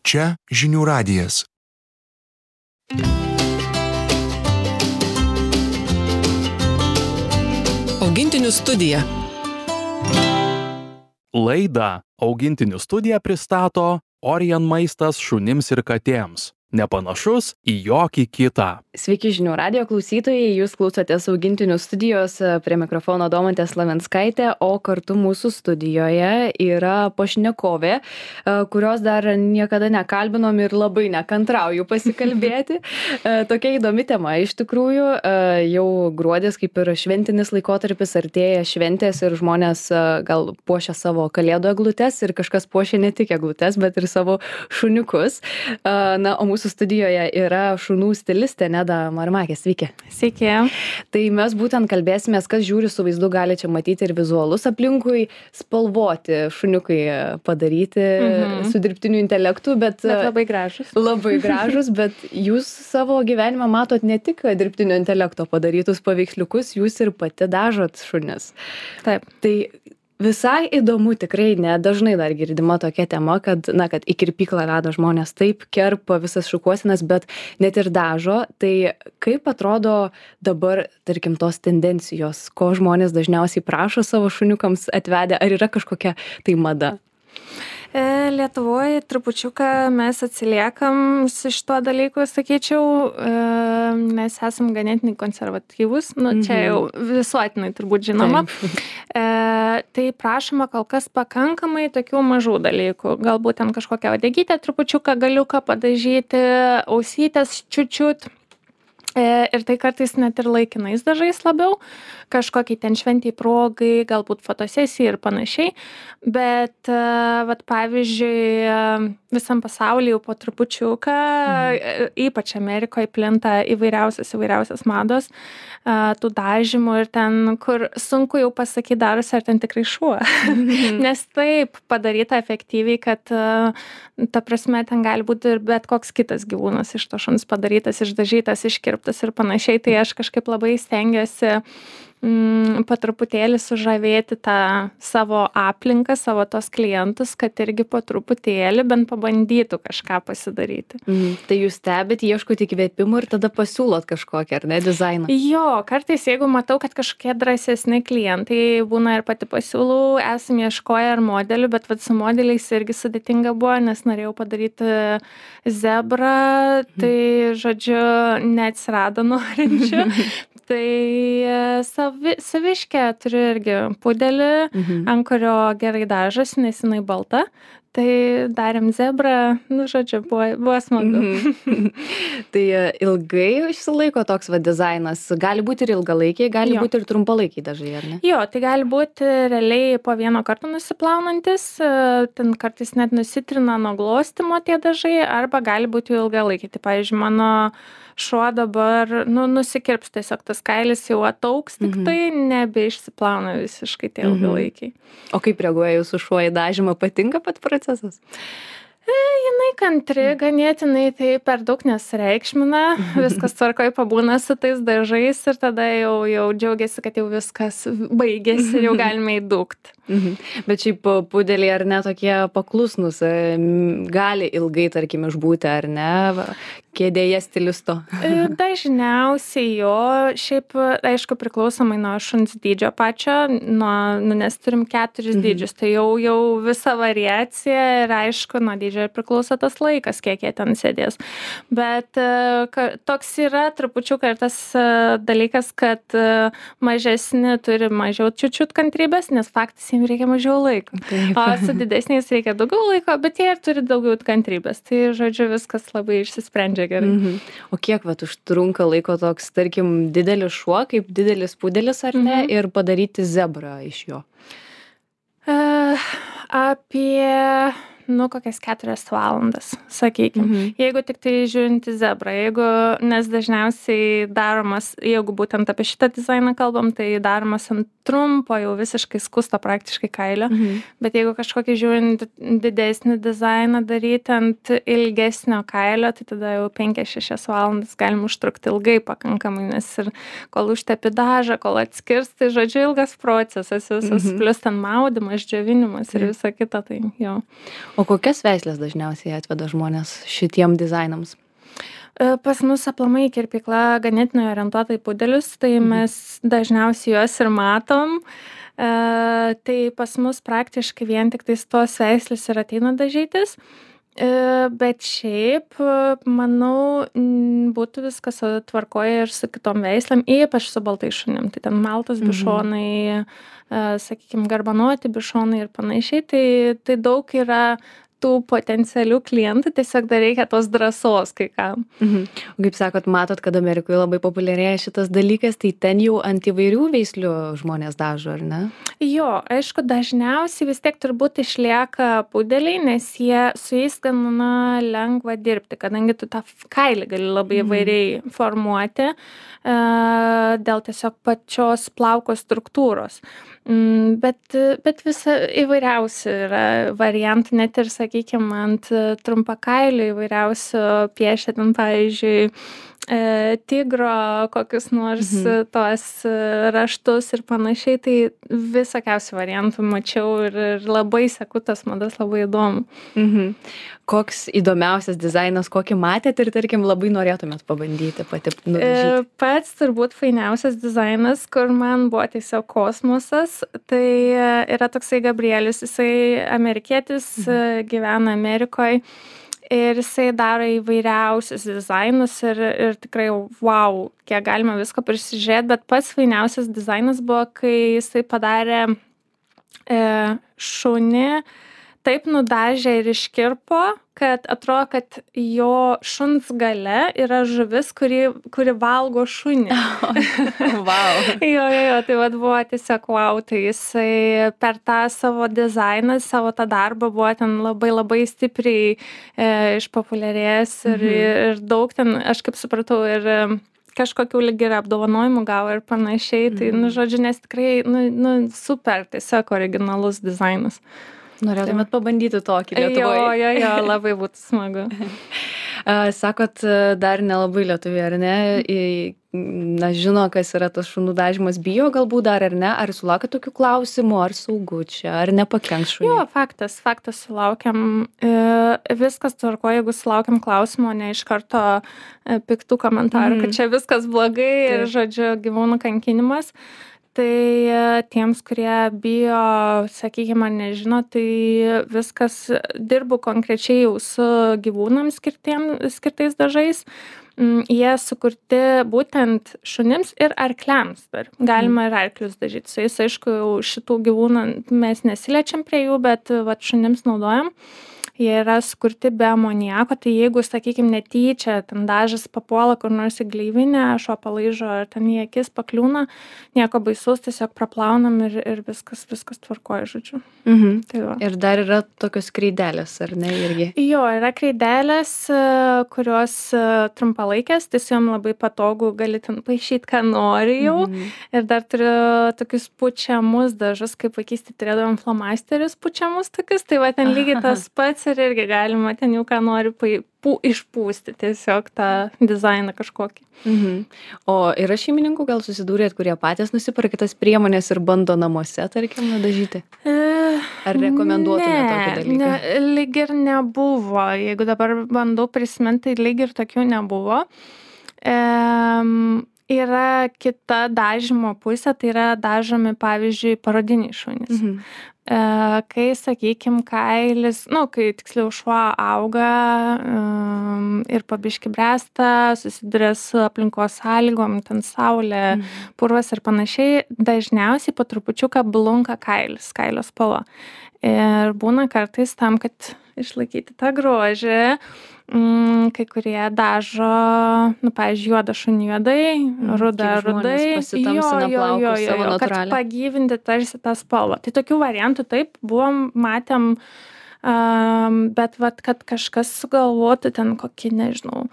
Čia žinių radijas. Augintinių studija. Laidą Augintinių studija pristato Orion maistas šunims ir katėms. Nepanašus į jokį kitą. Sveiki žinių radijo klausytojai, jūs klausotės Augintinių studijos, prie mikrofono Domantė Slavenskaitė, o kartu mūsų studijoje yra pašnekovė, kurios dar niekada nekalbinom ir labai nekantrauju pasikalbėti. Tokia įdomi tema iš tikrųjų, jau gruodis kaip ir šventinis laikotarpis, artėja šventės ir žmonės gal puošia savo kalėdų eglutes ir kažkas puošia ne tik eglutes, bet ir savo šuniukus. Na, o mūsų studijoje yra šunų stilistė Neda Marmakė. Sveiki. Sveiki. Tai mes būtent kalbėsimės, kas žiūri su vaizdu, gali čia matyti ir vizualus aplinkui, spalvoti šuniukai padaryti su dirbtiniu intelektu, bet labai gražus. Labai gražus, bet jūs savo gyvenimą matot ne tik dirbtinio intelekto padarytus paveiksliukus, jūs ir pati dažot šunis. Taip. Tai visai įdomu, tikrai nedažnai dar girdima tokia tema, kad į kirpyklą veda žmonės taip, kerpa visas šukuosinas, bet net ir dažo. Tai kaip atrodo dabar, tarkim, tos tendencijos, ko žmonės dažniausiai prašo savo šuniukams atvedę, ar yra kažkokia tai mada? Lietuvoje trupučiuką mes atsiliekam su šituo dalyku, sakyčiau, mes esam ganėtinai konservatyvus, čia jau visuotinai turbūt žinoma. Tai prašoma kol kas pakankamai tokių mažų dalykų. Galbūt ten kažkokią uodegytę trupučiuką galiuką padažyti, ausytės čiučiut. Ir tai kartais net ir laikinais dažais labiau, kažkokiai ten šventiai progai, galbūt fotosesijai ir panašiai. Bet, pavyzdžiui, visam pasaulyje jau po trupučiuką, ypač Amerikoje plinta įvairiausias mados, tų dažymų ir ten, kur sunku jau pasakyti darosi, ar ten tikrai šuo. Nes taip padaryta efektyviai, kad ta prasme ten gali būti ir bet koks kitas gyvūnas iš to šuns padarytas, išdažytas, iškirptas ir panašiai. Tai aš kažkaip labai stengiuosi po truputėlį sužavėti tą savo aplinką, savo tos klientus, kad irgi po truputėlį bent pabandytų kažką pasidaryti. Tai jūs stebit, ieškot įkvėpimų ir tada pasiūlot kažkokį, ar ne, dizainą? Jo, kartais jeigu matau, kad kažkokie drąsesni klientai būna ir pati pasiūlau, esam ieškoję ar modelių, bet su modeliais irgi sudėtinga buvo, nes norėjau padaryti zebrą, tai žodžiu neatsirado norinčių. Tai saviškę turiu irgi pudelį, ant kurio gerai dažosi, nes jinai balta. Tai darėm zebrą, žodžiu, buvo smagu. Tai ilgai išsilaiko toks dizainas? Gali būti ir ilgalaikiai, gali būti ir trumpalaikiai dažai, ar ne? Jo, tai gali būti realiai po vieno karto nusiplaunantis, ten kartais net nusitrina nuo glostymo tie dažai, arba gali būti ilgalaikiai. Tai, pavyzdžiui, mano šuo dabar nusikirps tiesiog tas kailis jau ataugs, tik tai nebeišsiplauna visiškai tie ilgalaikiai. O kaip reaguoja jūsų šuo į dažymą? Patinka pat procesas? Jinai kantri, ganėtinai tai per daug nesireikšmina, viskas tvarkoj pabūna su tais dažais ir tada jau džiaugiasi, kad jau viskas baigėsi ir jau galime įdūkt. Bet šiaip pudeliai ar ne tokie paklusnus, gali ilgai, tarkim, išbūti, ar ne, kėdėje stilisto? Dažniausiai jo, šiaip, aišku, priklausomai nuo šuns dydžio pačio, nes turim 4 dydžius, tai jau visa variacija ir aišku, nuo dydžio ir priklauso tas laikas, kiek jie ten sėdės. Bet toks yra trupučiuką ir tas dalykas, kad mažesni turi mažiau čiučiut kantrybės, nes faktas jiems reikia mažiau laiko. O su didesniais reikia daugiau laiko, bet jie ir turi daugiau kantrybės. Tai, žodžiu, viskas labai išsisprendžia gerai. O kiek užtrunka laiko toks, tarkim, didelis šuo, kaip didelis pudelis, ar ne, ir padaryti zebrą iš jo? Apie kokias 4 valandas, sakykim. Jeigu tik tai žiūrint į zebrą, nes dažniausiai daromas, jeigu būtent apie šitą dizainą kalbam, tai daromas ant trumpo, jau visiškai skusto praktiškai kailio. Bet jeigu kažkokį žiūrint didesnį dizainą daryti ant ilgesnio kailio, tai tada jau 5-6 valandas galim užtrukti ilgai pakankamai, nes ir kol užtepi dažą, kol atskirs, tai žodžiu ilgas procesas visas, plus ten maudymas, džiovinimas ir visa kita, tai jo. O kokias veislės dažniausiai atveda žmonės šitiem dizainams? Pas mus aplamai kirpykla ganėtinai orientuota į pudelius, tai mes dažniausiai juos ir matom. Tai pas mus praktiškai vien tik tais tos veislės ir ateina dažytis. Bet šiaip, manau, būtų viskas tvarkoje ir su kitom veislėm, ypač su baltais šunim. Tai ten maltos bišonai, sakykime, garbanuoti bišonai ir panašiai. Tai daug yra tų potencialių klientų, tiesiog dar reikia tos drąsos kai kam. O kaip sakot, matot, kad Amerikoje labai populiarėja šitas dalykas, tai ten jau ant įvairių veislių žmonės dažo, ar ne? Jo, aišku, dažniausiai vis tiek turbūt išlieka pudeliai, nes su jais gana lengva dirbti, kadangi tu tą kailį gali labai įvairiai formuoti dėl tiesiog pačios plauko struktūros. Bet visa įvairiausių yra variantų, net ir, sakykime, ant trumpakailių įvairiausių piešia ten, pavyzdžiui, tigro kokius nors tuos raštus ir panašiai, tai visokiausių variantų mačiau ir labai seku tas madas, labai įdomu. Koks įdomiausias dizainas, kokį matėt ir, tarkim, labai norėtumėt pabandyti pati nudažyti? Pats turbūt fainiausias dizainas, kur man buvo tiesiog kosmosas, tai yra toksai Gabrielius, jisai amerikietis, gyvena Amerikoje. Ir jisai daro įvairiausius dizainus ir tikrai, wow, kiek galima visko prisižiūrėti, bet pats fainiausias dizainas buvo, kai jisai padarė šunį, taip nudažė ir iškirpo, kad atrodo, kad jo šuns gale yra žuvis, kuri valgo šunį. Wow. Jo, tai vat buvo tiesiog wow, tai jisai per tą savo dizainą, savo tą darbą buvo ten labai stipriai išpopuliarėjęs ir daug ten, aš kaip supratau, ir kažkokių lyg ir apdovanojimų gavo ir panašiai, tai, žodžiu, nes tikrai, super, tiesiog originalus dizainas. Norėtumėt pabandyti tokį Lietuvoje? Jo, labai būtų smagu. Sakot, dar nelabai lietuviai, ar ne? Žino, kas yra tas šunų dažymas, bijo galbūt dar, ar ne? Ar sulaukia tokių klausimų, ar saugu čia, ar nepakenks šuniui? Jo, faktas sulaukiam. Viskas tvarko, jeigu sulaukiam klausimų, ne iš karto piktų komentarų, kad čia viskas blogai ir, žodžiu, gyvūnų kankinimas. Tai tiems, kurie bijo, sakykime, ar nežino, tai viskas dirbu konkrečiai jau su gyvūnams skirtais dažais. Jie sukurti būtent šunims ir arkliams dar. Galima ir arklius dažyti. Su jais, aišku, šitų gyvūnų mes nesiliečiam prie jų, bet vat, šunims naudojam. Jie yra sukurti be amoniako, tai jeigu, sakykime, netyčia, ten dažas papuola kur nors į gleivinę, šuo palaižo, ar ten į akis pakliūna, nieko baisaus, tiesiog praplaunam ir viskas tvarkoja, žodžiu. Tai va. Ir dar yra tokios kreidelės, ar ne, irgi? Jo, yra kreidelės, kurios trumpalaikės, tai su jom labai patogu, gali ten paišyti, ką nori jau. Ir dar turiu tokius pučiamus dažus, kaip vaikystėje turėdavom flomasterius pučiamus tokius, tai va ten lygiai tas pats ir irgi galima ten jau ką nori išpūsti tiesiog tą dizainą kažkokį. O yra šeimininkų, gal susidūrėt, kurie patys nusipirka tas priemonės ir bando namuose, tarkim, nudažyti? Ar rekomenduotumėte tokį dalyką? Lyg ir nebuvo. Jeigu dabar bandau prisiminti, tai lyg ir tokių nebuvo. Yra kita dažymo pusė, tai yra dažomi, pavyzdžiui, parodiniai šunys. Kai, sakykime, kailis, kai tiksliau šuo auga ir pabiški bręsta, susiduria su aplinkos sąlygom, ten saulė, purvas ir panašiai, dažniausiai po trupučiuką blunka kailis, kailio spalva. Ir būna kartais tam, kad išlaikyti tą grožį, kai kurie dažo, pavyzdžiui, juodą šunį juodai, rudą rudai, kad pagyvinti tarsi tą spalvą. Tai tokių variantų taip matėm, bet kad kažkas sugalvotų ten kokį, nežinau,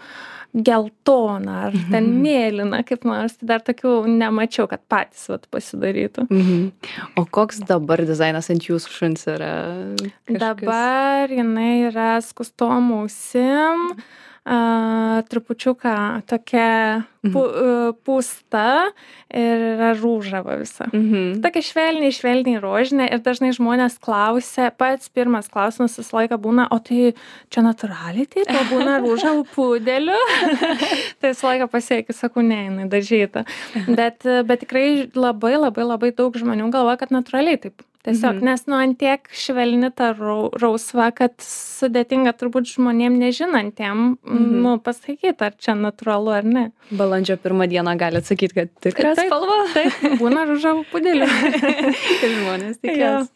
geltoną ar ten mėlyną, kaip nors, tai dar tokių nemačiau, kad patys pasidarytų. O koks dabar dizainas ant jūsų šuns yra? Dabar jinai yra skustom ausim, trupučiuką tokia pūsta ir yra rūžava visa. Tokia švelniai rožinė ir dažnai žmonės klausia, pats pirmas klausimas visą laiką būna, o tai čia natūraliai taip, o būna rūžavų pudelių. Tai visą laiką pasiekiu, sakau, ne, jinai dažyta. Bet tikrai labai daug žmonių galvoja, kad natūraliai taip. Tiesiog, nes antiek švelni ta rausva, kad sudėtinga turbūt žmonėm nežinantiem pasakyti, ar čia natūralu ar ne. Balandžio 1 dieną gali atsakyti, kad tikra spalva. Taip, būna rūžavų pudelių. Ir žmonės tikės.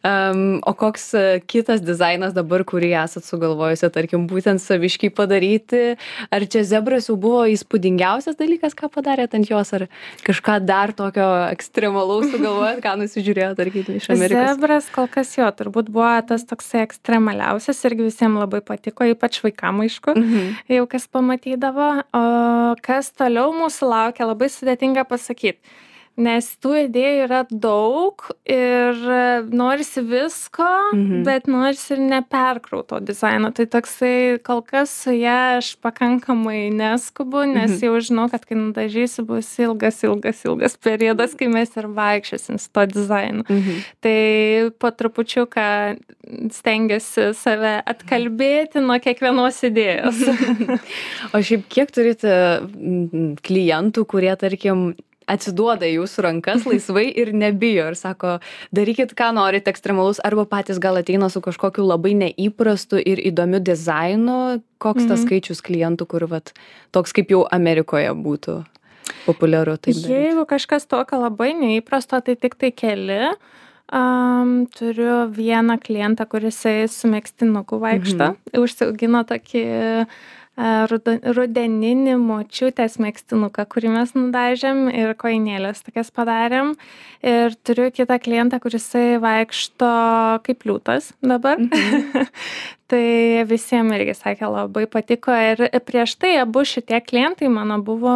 O koks kitas dizainas dabar, kurį esat sugalvojusi, tarkim, būtent saviškai padaryti? Ar čia zebras jau buvo įspūdingiausias dalykas, ką padarėt ant jos, ar kažką dar tokio ekstremalaus sugalvojat, ką nusižiūrėjot? Iš Amerikos. Zebras kol kas jo, turbūt buvo tas toksai ekstremaliausias irgi visiems labai patiko, ypač vaikam aišku, jau kas pamatydavo. O kas toliau mūsų laukia, labai sudėtinga pasakyti. Nes tų idėjų yra daug ir norisi visko, bet norisi ir neperkrauto dizaino. Tai toksai, kol kas su ja aš pakankamai neskubu, nes jau žinau, kad kai nudažysiu bus ilgas periodas, kai mes ir vaikščiosim su to dizainu. Tai po trupučiuką stengiuosi save atkalbėti nuo kiekvienos idėjos. O šiaip kiek turite klientų, kurie, tarkim, atsiduoda jūsų rankas laisvai ir nebijo ir sako, darykit, ką norit ekstremalus, arba patys gal ateina su kažkokiu labai neįprastu ir įdomiu dizainu? Koks tas skaičius klientų, kur toks kaip jau Amerikoje būtų populiaru taip daryti? Jeigu kažkas tokio labai neįprasto, tai tik tai keli. Turiu vieną klientą, kuris su megztinuku vaikšto. Užsiaugino tokį rudeninį močiutės megztinuką, kurį mes nudažėm ir koinėlės tokias padarėm. Ir turiu kitą klientą, kuris vaikšto kaip liūtas dabar. Tai visiems irgi sakė, labai patiko. Ir prieš tai abu šitie klientai mano buvo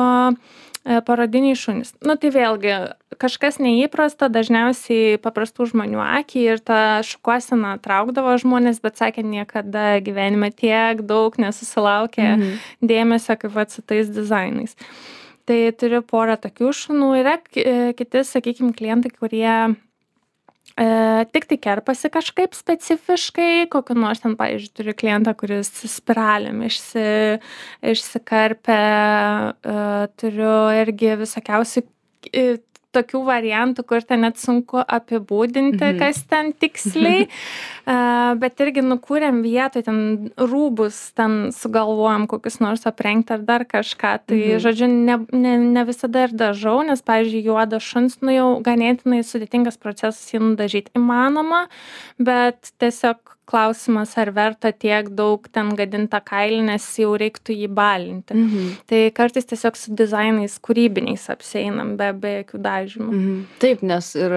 parodiniai šunys. Tai vėlgi kažkas neįprasta, dažniausiai paprastų žmonių akį ir tą šukuoseną traukdavo žmonės, bet sakė, niekada gyvenime tiek daug nesusilaukė dėmesio kaip su tais dizainais. Tai turiu porą tokių šunų. Yra kiti, sakykime, klientai, kurie tik tai kerpasi kažkaip specifiškai, kokiu nors ten, pavyzdžiui, turiu klientą, kuris spiralėm išsikarpė, turiu irgi visokiausių tokių variantų, kur ten net sunku apibūdinti, kas ten tiksliai, bet irgi nukūrėm vietoj, ten rūbus, ten sugalvojom kokius nors aprengti ar dar kažką, tai žodžiu, ne visada ir dažau, nes, pavyzdžiui, juodas šuns, jau ganėtinai sudėtingas procesas jį nudažyti įmanoma, bet tiesiog klausimas, ar verta tiek daug ten gadinta kailį, nes jau reiktų jį balinti. Tai kartais tiesiog su dizainais kūrybiniais apsieinam be jokių dažymų. Taip, nes ir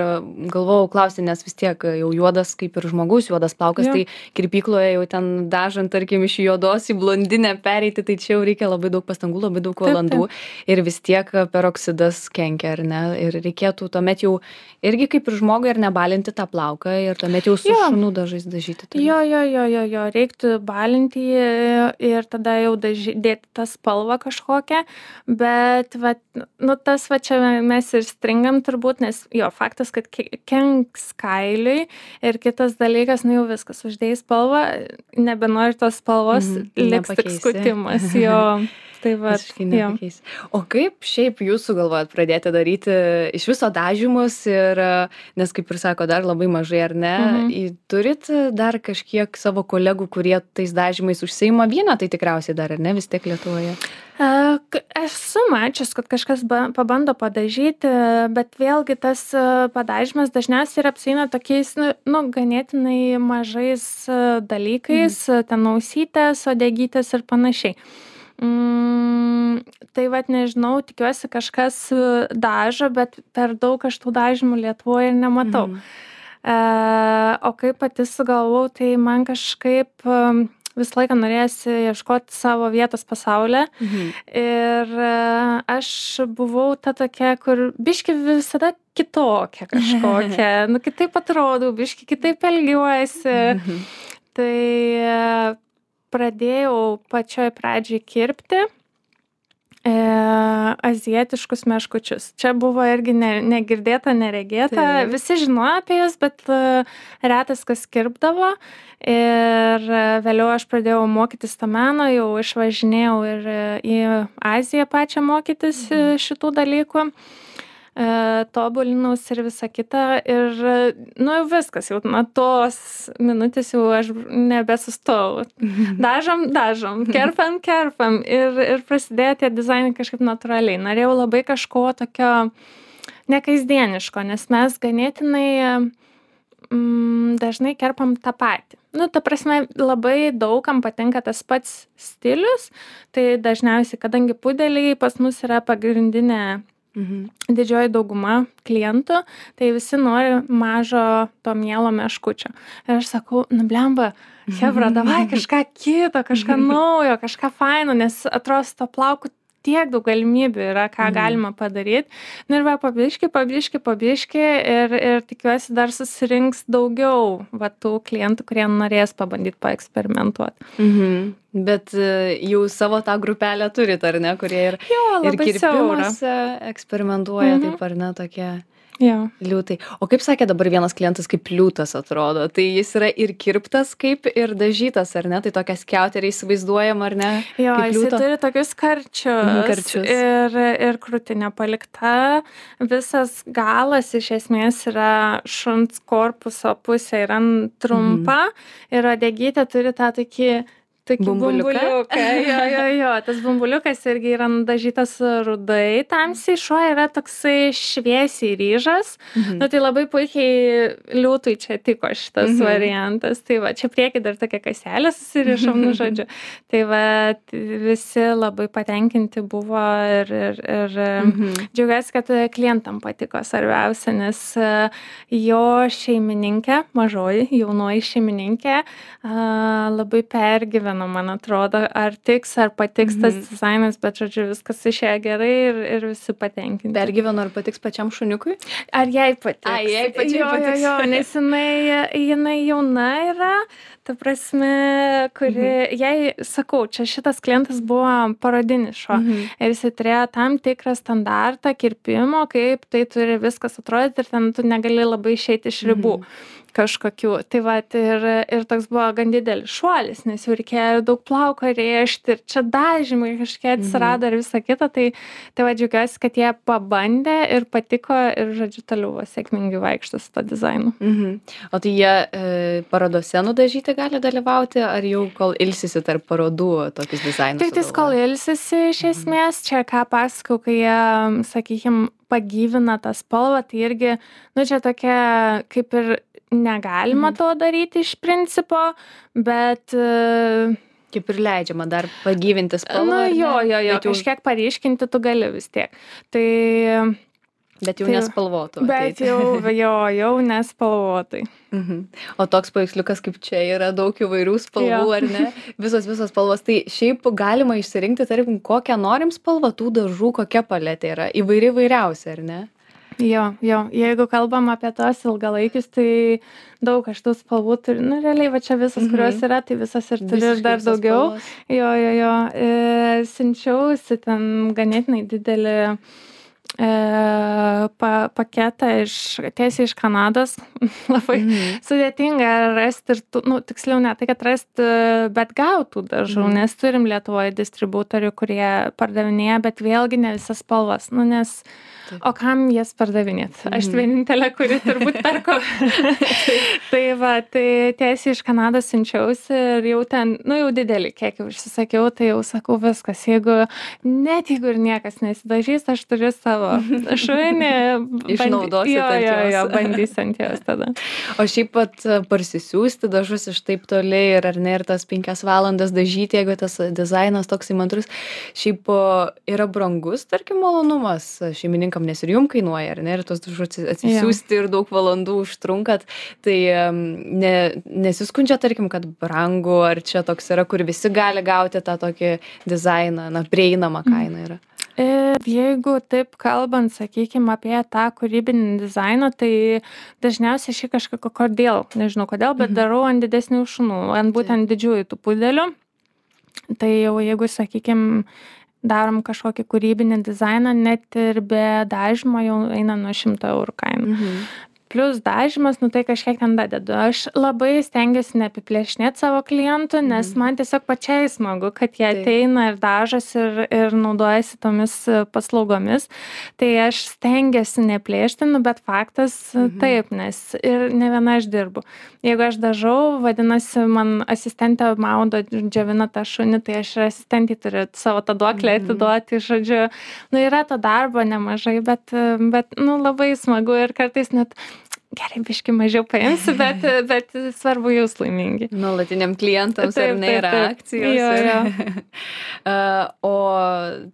galvojau klausti, nes vis tiek jau juodas kaip ir žmogus, juodas plaukas, tai kirpykloje jau ten dažant, tarkim, iš juodos į blondinę pereiti, tai čia jau reikia labai daug pastangų, labai daug valandų ir vis tiek peroksidas kenkia, ar ne? Ir reikėtų tuomet jau irgi kaip ir žmogui ir nebalinti tą plauką ir tuomet jau su šunų dažais dažyti. Jo, reiktų balinti ir tada jau dėti tą spalvą kažkokią, bet tas čia mes ir stringam turbūt, nes faktas, kad kenks kailiui ir kitas dalykas, jau viskas, uždėjai spalvą, nebenori tos spalvos, liks tik skutimas, Tai va, o kaip šiaip jūs sugalvojat pradėti daryti iš viso dažymus ir, nes kaip ir sako, dar labai mažai, ar ne, turit dar kažkiek savo kolegų, kurie tais dažymais užsiima, vieną tai tikriausiai dar, ar ne, vis tiek Lietuvoje? Esu mačius, kad kažkas pabando padažyti, bet vėlgi tas padažymas dažniausiai ir apsieina tokiais, ganėtinai mažais dalykais, ten ausytės, uodegytės ir panašiai. Tai nežinau, tikiuosi kažkas dažo, bet per daug aš tų dažymų Lietuvoje ir nematau. O kaip pati sugalvau, tai man kažkaip visą laiką norėjosi ieškoti savo vietos pasaulyje. Ir aš buvau ta tokia, kur biški visada kitokia kažkokia, kitaip atrodau, biški kitaip elgiuosi. Tai pradėjau pačioj pradžioj kirpti azijietiškus meškučius. Čia buvo irgi negirdėta, neregėta. Taip. Visi žinojo apie jas, bet retas kas kirpdavo. Ir vėliau aš pradėjau mokytis to meno, jau išvažinėjau ir į Aziją pačią mokytis šitų dalykų. Tobulinus ir visa kita. Ir, nu, jau viskas, jau nuo tos minutės jau aš nebesustau. Dažom, kerpam. Ir prasidėjo tie dizainai kažkaip natūraliai. Norėjau labai kažko tokio nekasdieniško, nes mes ganėtinai dažnai kerpam tą patį. Nu, ta prasme, labai daugam patinka tas pats stilius, tai dažniausiai, kadangi pudeliai pas mus yra pagrindinė didžioji dauguma klientų, tai visi nori mažo to mielo meškučio. Ir aš sakau, nu blemba, chebra, davai kažką kito, kažką naujo, kažką faino, nes atrodo to plauku tiek daug galimybių yra, ką galima padaryti. Nu ir va, pabiški ir tikiuosi dar susirinks daugiau va, tų klientų, kurie norės pabandyti paeksperimentuoti. Bet jau savo tą grupelę turit, ar ne, kurie ir kirpimuose eksperimentuoja, taip ar ne, tokie liūtai. O kaip sakė dabar vienas klientas, kaip liūtas atrodo, tai jis yra ir kirptas kaip ir dažytas, ar ne, tai tokia skiauterė įsivaizduojama, ar ne? Jo, jis turi tokius karčius. Ir krūtinė palikta. Visas galas iš esmės yra šuns korpuso pusė, yra trumpa ir uodegytė turi tą tokį bumbuliuką. Jo, tas bumbuliukas irgi yra nudažytas rudai, tamsiai, šuo yra toksai šviesiai ryžas. Nu, tai labai puikiai liūtui čia tiko šitas variantas. Tai va, čia prieki dar tokia kaselė susirišom, nu žodžiu. Tai va, visi labai patenkinti buvo ir džiaugiuosi, kad klientam patiko svarbiausia, nes jo šeimininkė, mažoji, jaunoji šeimininkė, labai pergyveno, man atrodo, ar tiks, ar patiks tas dizainas, bet, žodžiu, viskas išėjo gerai ir visi patenkinti. Pergyveno, ar patiks pačiam šuniukui? Ar jai patiks? Jai pačiai patiks. Jo, nes jinai jauna yra, ta prasme, kuri, jai, sakau, čia šitas klientas buvo parodinis šuo. Ir jis turėjo tam tikrą standartą kirpimo, kaip tai turi viskas atrodyti ir ten tu negali labai išeiti iš ribų kažkokių. Tai va, ir toks buvo gan didelis šuolis, nes jau reikėjo daug plauko rėžti ir čia dažymai kažkiek atsirado ir visa kita. Tai va, džiaugiuosi, kad jie pabandė ir patiko ir, žodžiu, toliau sėkmingai vaikšto su to dizainu. O tai jie parodose nudažyti gali dalyvauti, ar jau kol ilsisi tarp parodų tokius dizainus? Tik tais kol ilsisi iš esmės, čia ką pasakau, kai jie, sakykim, pagyvina tą spalvą, tai irgi, nu čia tokia kaip ir negalima to daryti iš principo, bet kaip ir leidžiama dar pagyvinti spalvą. Jo, kažkiek paryškinti tu gali vis tiek. Tai bet jau nespalvotų. Bet jau nespalvotai. O toks paveiksliukas kaip čia yra daug įvairių spalvų, ar ne? Visos spalvos. Tai šiaip galima išsirinkti, tarkim, kokią norim spalvą, tų dažų, kokia paletė yra. Įvairiausia, ar ne? Jo, jeigu kalbam apie tos ilgalaikius, tai daug aš tų spalvų turiu, nu realiai va čia visas, kurios yra, tai visas ir turiu dar daugiau. Jo, siunčiausi ten ganėtinai didelį paketą tiesiai iš Kanados. Labai sudėtinga rasti ir, nu, tiksliau ne tai, kad rasti, bet gautų dažų, nes turim Lietuvoje distributorių, kurie pardavinėja, bet vėlgi ne visas spalvas, nu, nes o kam jas pardavinėt? Aš vienintelė, kuri turbūt perko. Tai va, tai tiesiai iš Kanados siunčiausi ir jau ten, nu jau didelį kiekį užsisakiau, tai jau sakau viskas, jeigu ir niekas nesidažys, aš turiu savo šunį. Išnaudosit ant jos. Jo, bandysiu ant jos tada. O šiaip pat parsisiųsti dažus iš taip toliai ir ar ne, ir tas 5 valandas dažyti, jeigu tas dizainas toks įmantrus, šiaip yra brangus, tarkim, malonumas šeimininkam, nes ir jum kainuoja, ar ne, ir tos dažus atsisiųsti ir daug valandų užtrunkat, tai nesiskundžia, tarkim, kad brangu, ar čia toks yra, kur visi gali gauti tą tokį dizainą, na, prieinamą kainą yra. Jeigu taip kalbant, sakykime, apie tą kūrybinį dizainą, tai dažniausiai kažką, nežinau kodėl, bet darau ant didesnių šunų, ant būtent didžiųjų tų pudelių. Tai jau jeigu, sakykime, darom kažkokį kūrybinį dizainą, net ir be dažymo jau eina nuo 100 eurų kaina. Plius dažymas, tai kažkiek ten dadedu. Aš labai stengiuosi neapiplėšinėti savo klientų, nes man tiesiog pačiai smagu, kad jie ateina ir dažosi ir naudojasi tomis paslaugomis. Tai aš stengiuosi neplėšti, bet faktas taip, nes ir ne viena aš dirbu. Jeigu aš dažau, vadinasi, man asistentė maudo, džiovina tą šunį, tai aš ir asistentį turiu savo tą duoklę atiduoti, žodžiu. Yra to darbo nemažai, bet labai smagu ir kartais net gerai, biškį mažiau paimsiu, bet svarbu jūs laimingi. Nuolatiniam klientams ar ne yra akcijos. Jo. O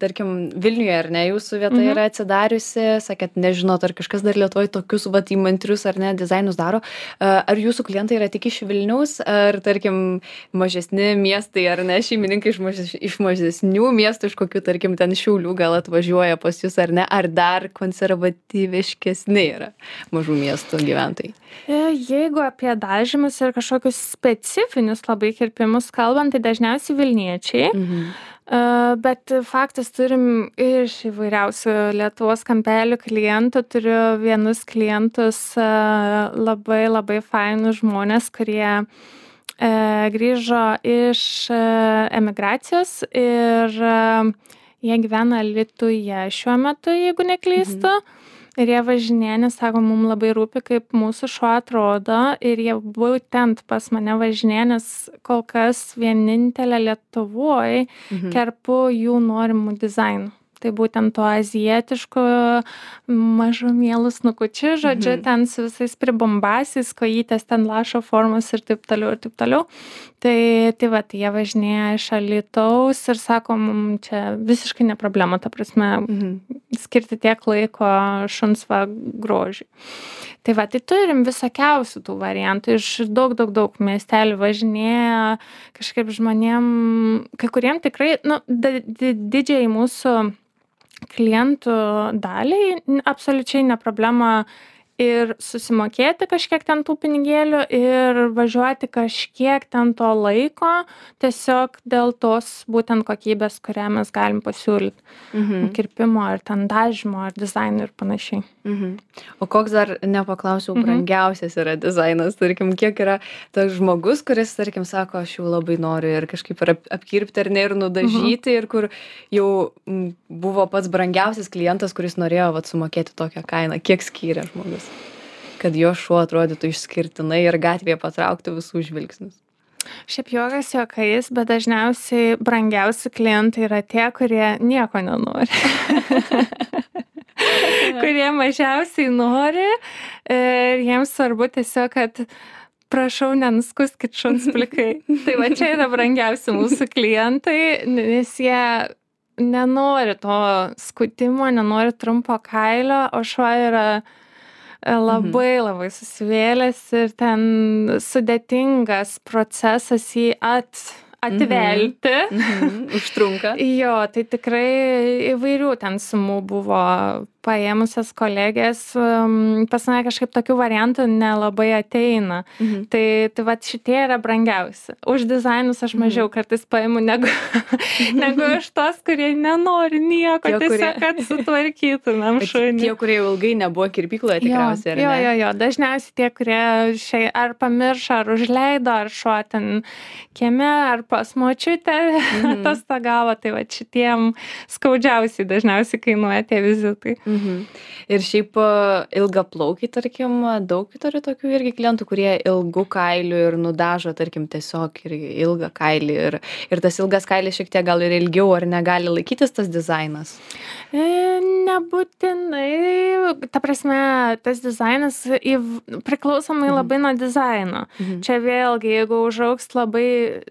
tarkim, Vilniuje ar ne, jūsų vieta yra atsidariusi, sakėt, nežinot, ar kažkas dar Lietuvoje tokius įmantrius ar ne dizainus daro. Ar jūsų klientai yra tik iš Vilniaus, ar tarkim mažesni miestai ar ne, šeimininkai iš mažesnių miestų, iš kokių tarkim ten Šiaulių gal atvažiuoja pas jūs ar ne, ar dar konservatyviškesni yra mažų miestų gyventojai? Jeigu apie dažymus ir kažkokius specifinius labai kirpimus kalbant, tai dažniausiai Vilniečiai. Bet faktas turim iš įvairiausių Lietuvos kampelių klientų. Turiu vienus klientus labai, labai fainus žmonės, kurie grįžo iš emigracijos ir jie gyvena Alytuje šiuo metu, jeigu neklystu. Ir jie važinėja, nes sako, mums labai rūpi, kaip mūsų šuo atrodo. Ir jie būtent pas mane važinėja, nes kol kas vienintelė Lietuvoje kerpu jų norimų dizainų. Tai būtent to azijietiško mažumėlus snukučių, žodžiu, ten su visais pribombasiais, kojytės ten lašo formos ir taip toliau, ir taip toliau. Tai jie važinėja iš Alytaus ir sako, mums čia visiškai ne problema, ta prasme, skirti tiek laiko šuns grožiui. Tai turim visokiausių tų variantų, iš daug miestelių važinėja, kažkaip žmonėm, kai kuriem tikrai, didžiai mūsų klientų daliai absoliučiai ne problema ir susimokėti kažkiek ten tų pinigėlių ir važiuoti kažkiek ten to laiko, tiesiog dėl tos būtent kokybės, kurią mes galim pasiūlyti. Kirpimo, ar ten dažymo, ar dizaino ir panašiai. O koks dar, nepaklausiau, brangiausias yra dizainas, tarkim, kiek yra tas žmogus, kuris, tarkim, sako, aš jau labai noriu ir kažkaip apkirpti ar ne ir nudažyti ir kur jau buvo pats brangiausias klientas, kuris norėjo sumokėti tokią kainą. Kiek skyrė žmogus, kad jo šuo atrodytų išskirtinai ir gatvėje patrauktų visų žvilgsnius? Šiaip juokas juokais, bet dažniausiai brangiausi klientai yra tie, kurie nieko nenori. Kurie mažiausiai nori ir jiems svarbu tiesiog, kad prašau, nenuskuskit šuns plikai. Tai čia yra brangiausi mūsų klientai, nes jie nenori to skutimo, nenori trumpo kailio, o šuo yra labai, labai susivėlęs ir ten sudėtingas procesas jį atvelti. Užtrunka. Jo, tai tikrai įvairių ten sumų buvo paėmusios kolegės, pas mane kažkaip tokių variantų nelabai ateina. Tai šitie yra brangiausi. Už dizainus aš mažiau kartais paimu negu iš tos, kurie nenori nieko, tiesiog kad sutvarkytumėm šunį. Tie, kurie ilgai nebuvo kirpykloje tikriausiai, ar ne? Jo. Dažniausiai tie, kurie ar pamiršo, ar užleido, ar šuo ten kieme, ar pas močiutę atostogavo, tai šitiem skaudžiausiai dažniausiai kainuoja tie vizitai. Ir šiaip ilgaplaukiai, tarkim, daug turi tokių irgi klientų, kurie ilgų kailių ir nudažo, tarkim, tiesiog ir ilgą kailį. Ir tas ilgas kailis šiek tiek gal ir ilgiau, ar negali laikytis tas dizainas? Nebūtinai. Ta prasme, tas dizainas priklausomai labai nuo dizaino. Čia vėlgi, jeigu užaugs labai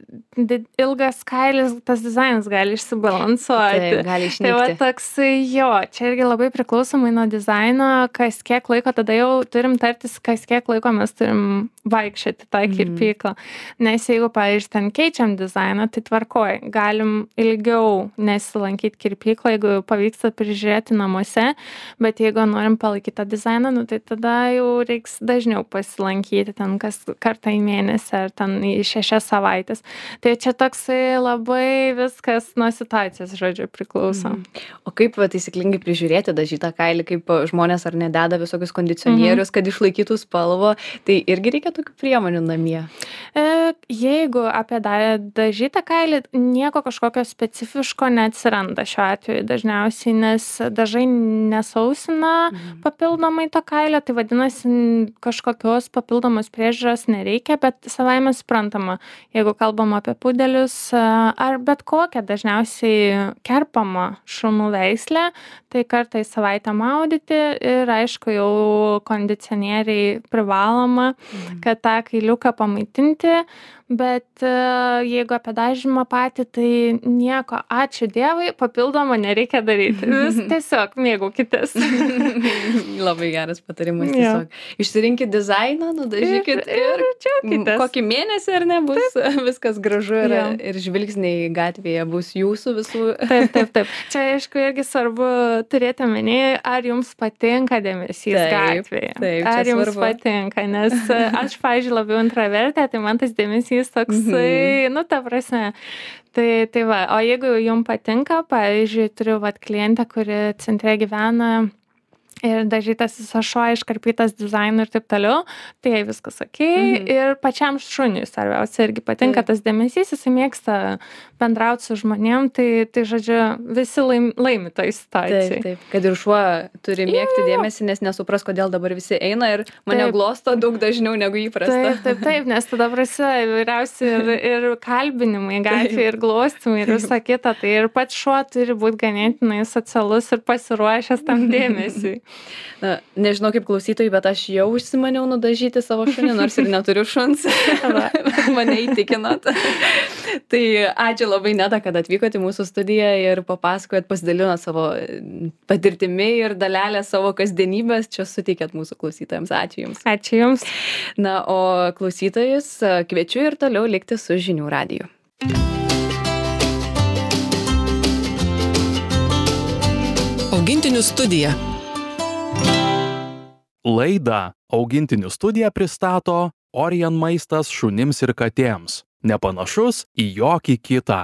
ilgas kailis, tas dizainas gali išsibalansuoti. Taip, gali išnykti. Tai toks, jo, čia irgi labai priklauso priklausomai nuo dizaino, kas kiek laiko, tada jau turim tartis, kas kiek laiko mes turim vaikščioti tą kirpyklą. Nes jeigu, pavyzdžiui, ten keičiam dizainą, tai tvarkoj, galim ilgiau nesilankyti kirpyklą, jeigu pavyksta prižiūrėti namuose, bet jeigu norim palaikyti tą dizainą, nu, tai tada jau reiks dažniau pasilankyti ten kas kartą į mėnesį ar ten į 6 savaitės. Tai čia toksai labai viskas nuo situacijos, žodžiu, priklauso. O kaip taisyklingai prižiūrėti dažytą kailį, kaip žmonės ar nededa visokius kondicionierius, kad išlaikytų spalvą, tai irgi reikia tokių priemonių namie? Jeigu apie dažytą kailį, nieko kažkokio specifiško neatsiranda šiuo atveju dažniausiai, nes dažai nesausina papildomai to kailio, tai vadinasi, kažkokios papildomos priežiūros nereikia, bet savaime suprantama, jeigu kalbam apie pudelius ar bet kokią dažniausiai kerpamą šunų veislę, tai kartą į savaitę maudyti ir aišku jau kondicionieriai privaloma, kad tą kailiuką pamaitinti, bet jeigu apie dažymą patį, tai nieko, ačiū Dievui, papildomą nereikia daryti. Vis tiesiog mėgaukitės. Labai geras patarimas tiesiog. Išsirinkit dizainą, nudažykit ir džiaukitės. Kokį mėnesį ar ne bus viskas gražu ir žvilgsniai gatvėje bus jūsų visų. Taip. Čia aišku irgi svarbu turėti omeny, ar jums patinka dėmesys gatvėje. Ar jums patinka, nes aš, pavyzdžiui, labiau intravertė, tai man tas dėmesys toksai, nu, ta prasme. Tai va, o jeigu jums patinka, pavyzdžiui, turiu klientę, kuri centre gyvena ir dažytas visas šuo, iškarpytas dizainu ir taip toliau, tai jai viskas okei. Ir pačiam šuniui svarbiausia irgi patinka tas dėmesys, jisai mėgsta bendrauti su žmonėm, tai žodžiu, visi laimi toj situacijai. Taip, kad ir šuo turi mėgti dėmesį, nes nesupras, kodėl dabar visi eina ir mane glosto daug dažniau negu įprasta. Taip, nes tada prasideda įvairiausi ir kalbinimai gatvėje, ir glostymai, ir visa kita. Tai ir pats šuo turi būti ganėtinai socialus ir pasiruošęs tam dėmesiui. Na, nežinau kaip klausytojai, bet aš jau užsimaniau nudažyti savo šunį, nors ir neturiu šuns. Mane įtikinot. Tai ačiū labai, Neda, kad atvykote į mūsų studiją ir papasakojot, pasidalinot savo patirtimi ir dalelę savo kasdienybės. Čia suteikėt mūsų klausytojams. Ačiū Jums. Ačiū Jums. Na, o klausytojus kviečiu ir toliau likti su Žinių radiju. Augintinių studija. Laidą Augintinių studija pristato Orion maistas šunims ir katėms. Nepanašus į jokį kitą.